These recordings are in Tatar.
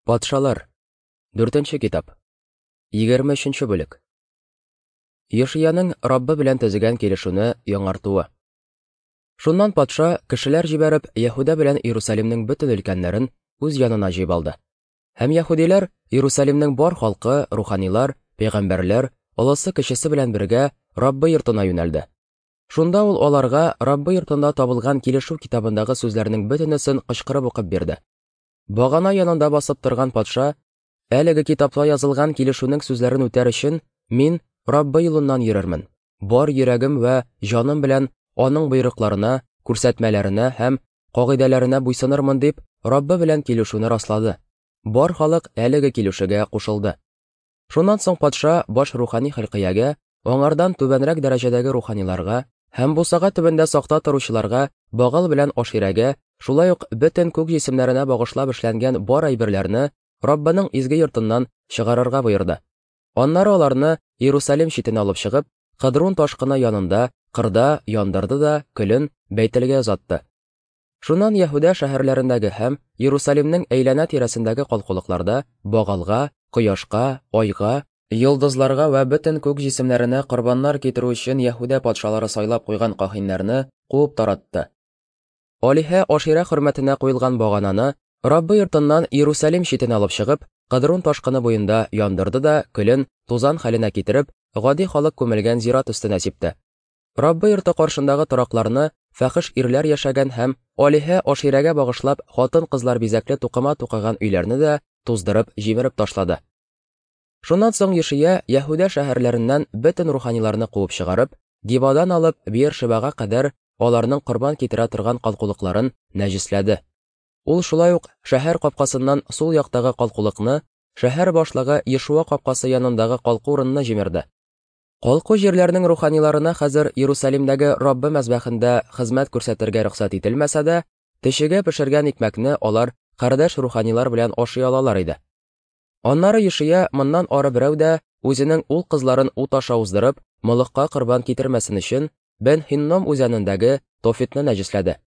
Патшалар. Дүртенче китап. 23 бүлек. Йошияның Раббы белән төзегән килешүне яңартуы. Шуннан патша, кешеләр җибәреп, Яһүдә белән Иерусалимның бөтен өлкәннәрен үз янына җыеп алды. Һәм яһүдиләр, Иерусалимның бар халкы, руханилар, пәйгамбәрләр, олысы-кечесе белән бергә Раббы йортына юнәлде. Шунда ул аларга Раббы йортында табылган килешү китабындагы сүзләрнең бөтенесен кычкырып укып бирде. Багана янында басып торган патша, әлеге китапта язылган килешүнең сүзләрен үтәр өчен, мин Раббы юлыннан йөрермен, бар йөрәгем вә җаным белән аның боерыкларына, күрсәтмәләренә һәм кагыйдәләренә буйсынырмын дип, Раббы белән килешүне раслады. Бар халык әлеге килешүгә кушылды. Шуннан соң патша баш рухани Хилкиягә, аңардан түбәнрәк дәрәҗәдәге руханиларга һәм бусага төбендә сакта торучыларга, Багал белән Аширәгә, шулай ук бөтен күк җисемнәренә багышлап эшләнгән бар әйберләрне Раббының изге йортыннан чыгарырга боерды. Аннары аларны Иерусалим читенә алып чыгып, Кыдрун ташкыны янында, кырда яндырды да көлен Бәйтелгә озатты. Шуннан Яһүдә шәһәрләрендәге һәм Иерусалимнең әйләнә-тирәсендәге калкулыкларда Багалга, кояшка, айга, йолдызларга вә бөтен күк җисемнәренә корбаннар китерү өчен Яһүдә патшалары сайлап куйган каһиннәрне куып таратты. Алиһә Аширә хөрмәтенә куелган багананы Раббы йортыннан Иерусалим читенә алып чыгып, Кыдрун ташкыны буенда яндырды да көлен тузан хәленә китереп, гади халык күмелгән зират өстенә сипте. Раббы йорты каршындагы торакларны фәхеш ирләр яшәгән һәм алиһә Аширәгә багышлап хатын-кызлар бизәкле тукыма тукыган өйләрне дә туздырып, җимереп ташлады. Шуннан соң Йошия Яһүдә шәһәрләреннән бөтен руханиларны куып чыгарып, Гибадан алып Биершебага кадәр аларның корбан китерә торган калкулыкларын нәҗесләде. Ул шулай ук шәһәр капкасыннан сул яктагы калкулыкны, шәһәр башлыгы Ешуа капкасы янындагы калку урынны җимерде. Калку җирләрнең руханиларына хәзер Иерусалимдәге Раббы мәзбәхендә хезмәт күрсәтергә рөхсәт ителмәсә дә, төчегә пешергән икмәкне алар кардәш руханилар белән ашый алалар иде. Аннары Йошия моннан ары берәү дә үзенең ул кызларын ут аша уздырып, Молохка корбан китермәсен өчен, Бен-Һинном үзәнендәге Тофетны нәҗесләде.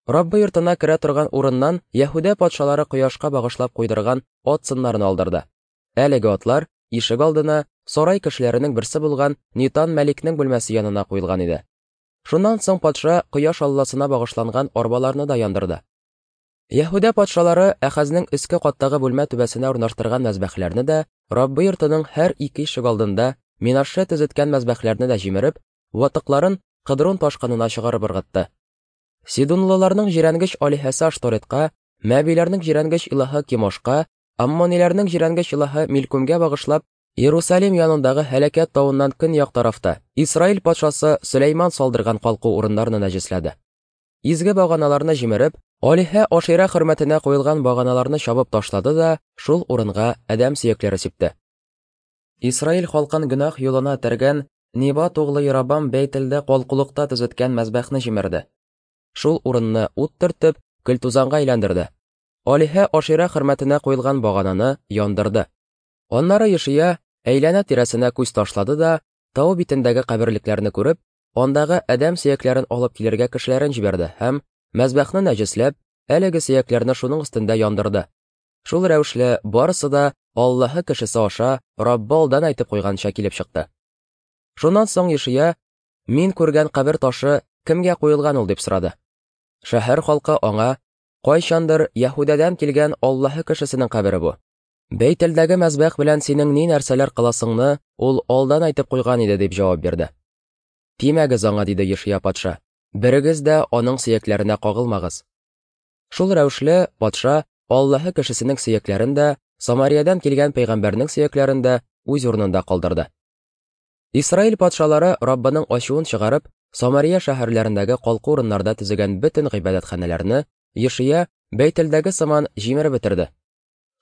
Раббы йортына керә торган урыннан Яһүдә патшалары кояшка багышлап куйдырган ат сыннарын алдырды. Әлеге атлар ишек алдына сарай кешеләренең берсе булган Нитан Мәликнең бүлмәсе янына куелган иде. Шуннан соң патша кояш алласына багышланган арбаларны да яндырды. Яһүдә патшалары Әхәзнең өске каттагы бүлмә түбәсенә урнаштырган мәзбәхләрне дә, Раббы йортының һәр ике ишек алдында Минаше төзеткән мәзбәхләрне дә җимереп, ватыкларын Кыдрун ташкынына чыгарып ыргытты. Сидунлыларның җирәнгеч алиһәсе Ашторетка, Мәбиләрнең җирәнгеч илаһы Кимошка, Аммониләрнең җирәнгеч илаһы Милкүмгә багышлап, Иерусалим янындагы һәлакәт тавыннан көньяк тарафта Исраил патшасы Сөләйман салдырган калку урыннарны нәҗесләде. Изге баганаларны җимереп, алиһә Аширә хөрмәтенә куелган баганаларны чабып ташлады да шул урынга адәм сөякләре сипте. Исраил халкын гөнаһ юлына этәргән Небат углы Ярабам Бәйтелдә калкулыкта төзеткән мәзбәхне җимерде. Шул урынны ут төртеп, көл-тузанга әйләндерде. Алиһә Аширә хөрмәтенә куелган багананы яндырды. Аннары Йошия әйләнә-тирәсенә күз ташлады да, тау битендәге каберлекләрне күреп, андагы адәм сөякләрен алып килергә кешеләрен җибәрде һәм, мәзбәхне нәҗесләп, әлеге сөякләрне шуның өстендә яндырды. Шул рәвешле барысы да Аллаһы кешесе аша Раббы алдан әйтеп куйганча килеп чыкты. Шуннан соң Йошия, Мин күргән кабер ташы кемгә куелган ул, дип сорады. Шәһәр халкы аңа, Кайчандыр Яһүдәдән килгән Аллаһы кешесенең кабере бу. Бәйтелдәге мәзбәх белән синең ни нәрсәләр кыласыңны ул алдан әйтеп куйган иде, дип җавап бирде. Тимәгез аңа, диде Йошия патша. Берегез дә аның сөякләренә кагылмагыз. Шул рәвешле патша Аллаһы кешесенең сөякләрен дә, Самариядән килгән пәйгамбәрнең сөякләрен дә үз урынында калдырды. Исраил патшалары Раббының ачуын чыгарып, Самария шәһәрләрендәге калку урыннарда төзегән бөтен гыйбадәтханәләрне Йошия Бәйтелдәге сыман җимереп бетерде.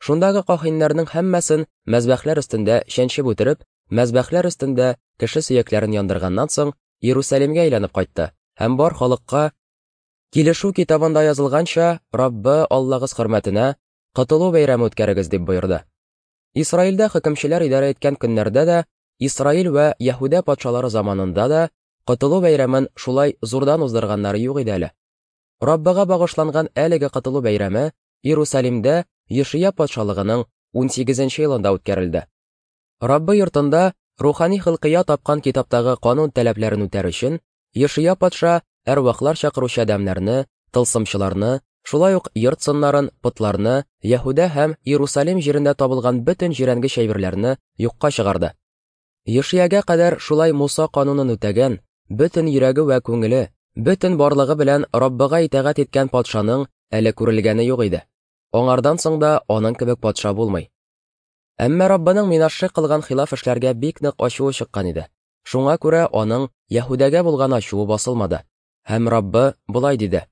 Шундагы каһиннәрнең һәммәсен мәзбәхләр өстендә чәнчеп үтереп, мәзбәхләр өстендә кеше сөякләрен яндырганнан соң, Иерусалимгә әйләнеп кайтты һәм бар халыкка Килешү китабында язылганча, Раббы Аллагыз хөрмәтенә Котылу бәйрәме үткәрегез дип боерды. Исраилдә хөкемчеләр идарә иткән көннәрдә дә, Исраил вә Яһүдә патшалары заманында да Котылу бәйрәмен шулай зурдан уздырганнары юк иде әле. Раббыга багышланган әлеге Котылу бәйрәме Иерусалимдә Йошия патшалыгының унсигезенче елында үткәрелде. Раббы йортында рухани Хылкыя тапкан китаптагы канун таләпләрен үтәр өчен, Йошия патша әрвахлар чакыручы адәмнәрне, тылсымчыларны, шулай ук йорт сыннарын, потларны, Яһүдә һәм Иерусалим җирендә табылган бөтен җирәнгеч әйберләрне юкка чыгарды. Йошиягә кадәр шулай Муса канунын үтәгән, бөтен йөрәге вә күңеле, бөтен барлыгы белән Раббыга итагать иткән патшаның әле күрелгәне юк иде. Аңардан соң да аның кебек патша булмый. Әмма Раббының Минашше кылган хилаф эшләргә бик нык ачуы чыккан иде. Шуңа күрә аның Яһүдәгә булган ачуы басылмады. Һәм Раббы болай диде: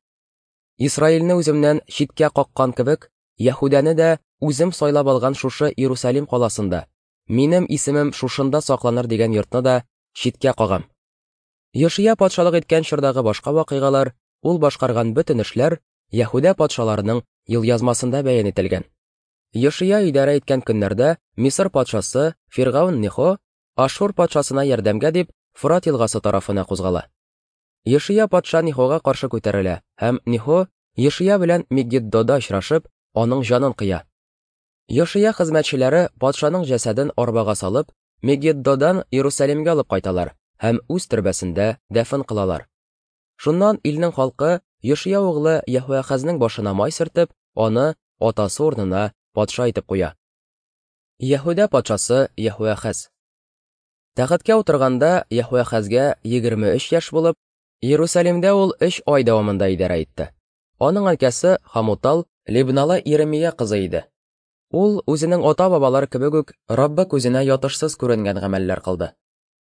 Исраилне үземнән читкә каккан кебек, Яһүдәне дә үзем сайлап алган шушы Иерусалим каласында, минем исемем шушында сакланыр дигән йортны да читкә кагам. Йошия патшалык иткән чордагы башка вакыйгалар, ул башкарган бөтен эшләр Яһүдә патшаларының елъязмасында бәян ителгән. Йошия идарә иткән көннәрдә Мисыр патшасы Фиргаун Нехо Ашур патшасына ярдәмгә дип Фрат елгасы тарафына кузгала. Йошия патша Нехога каршы күтәрелә һәм Нехо Йошия белән Мегиддода очрашып, аның җанын кыя. Йошия хезмәтчеләре патшаның җәсәден арбага салып, Мегиддодан Иерусалимгә алып кайталар һәм үз төрбәсендә дәфен кылалар. Шуннан илнең халкы Йошия углы Яһүәхәзнең башына май сөртеп, аны атасы урынына патша итеп куя. Яһүдә патшасы Яһүәхәз. Тәхеткә утырганда Яһүәхәзгә 23 яшь булып, Иерусалимдә ул 3 ай дәвамында идарә итте. Аның әнкәсе Хамутал Либналы Иремия кызы иде. Ул үзенең ата-бабалары кебек үк Раббы күзенә ятышсыз күренгән гамәлләр кылды.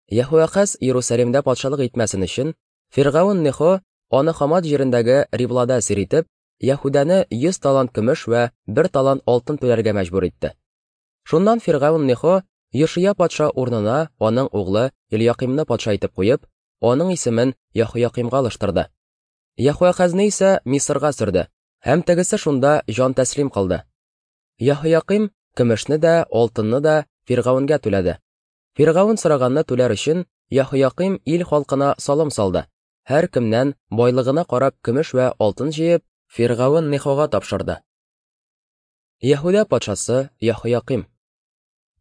Яһүәхәз Иерусалимдә патшалык итмәсен өчен, Фиргаун Нехо аны Хамат җирендәге Риблада әсир итеп, Яһүдәне 100 талант көмеш вә 1 талант алтын түләргә мәҗбүр итте. Шуннан Фиргаун Нехо Йошия патша урынына аның углы Эльякимны патша итеп куеп, аның исемен Яһоякимга алыштырды. Яһояхазны исә Мисырга сөрде, һәм тегесе шунда җан тәслим кылды. Яһояким көмешне дә, алтынны да Фиргавенгә түләде. Фиргавен сораганны түләр өчен Яһояким ил халкына салым салды. Һәр кемнән байлыгына карап көмеш вә алтын җыеп, Фиргавен Нехога тапшырды. Яһүдә патшасы Яһояким.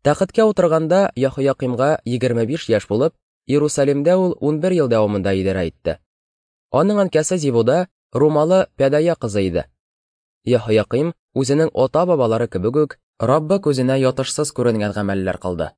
Тәхеткә утырганда Яһоякимга 25 яшь булып, Иерусалимдә ул 11 ел дәвамында идарә итте. Аның әнкәсе Зибуда Румалы Пәдая кызы иде. Яһояким үзенең ата-бабалары кебек үк Раббы күзенә ятышсыз күренгән гамәлләр кылды.